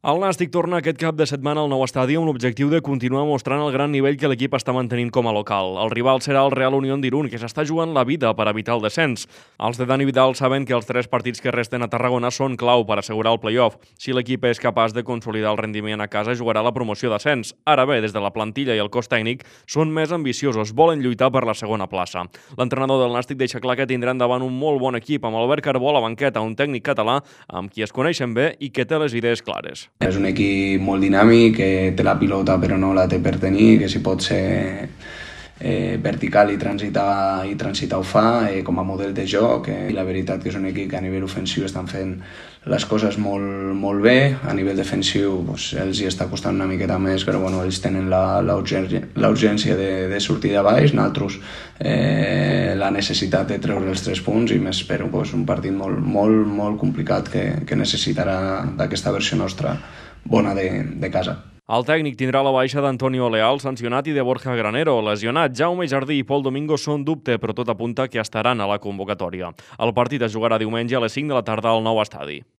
El Nàstic torna aquest cap de setmana al nou estadi amb l'objectiu de continuar mostrant el gran nivell que l'equip està mantenint com a local. El rival serà el Real Unión d'Irún, que s'està jugant la vida per evitar el descens. Els de Dani Vidal saben que els 3 partits que resten a Tarragona són clau per assegurar el play-off. Si l'equip és capaç de consolidar el rendiment a casa, jugarà la promoció d'ascens. Ara bé, des de la plantilla i el cos tècnic són més ambiciosos, volen lluitar per la segona plaça. L'entrenador del Nàstic deixa clar que tindran davant un molt bon equip, amb Albert Carbó a la banqueta, un tècnic català amb qui es coneixen bé i que té les idees clares. És un equip molt dinàmic, que té la pilota però no la té per tenir, que si pot ser vertical i transitar ho fa com a model de joc. I la veritat que és un equip que a nivell ofensiu estan fent les coses molt bé. A nivell defensiu els hi està costant una miqueta més, però ells tenen la urgència de sortir de baix, nosaltres la necessitat de treure els 3 punts, i m'espero un partit molt complicat que necessitarà d'aquesta versió nostra bona de casa. El tècnic tindrà la baixa d'Antonio Leal, sancionat, i de Borja Granero, lesionat. Jaume Jardí i Pol Domingo són dubte, però tot apunta que estaran a la convocatòria. El partit es jugarà diumenge a les 5 de la tarda al nou estadi.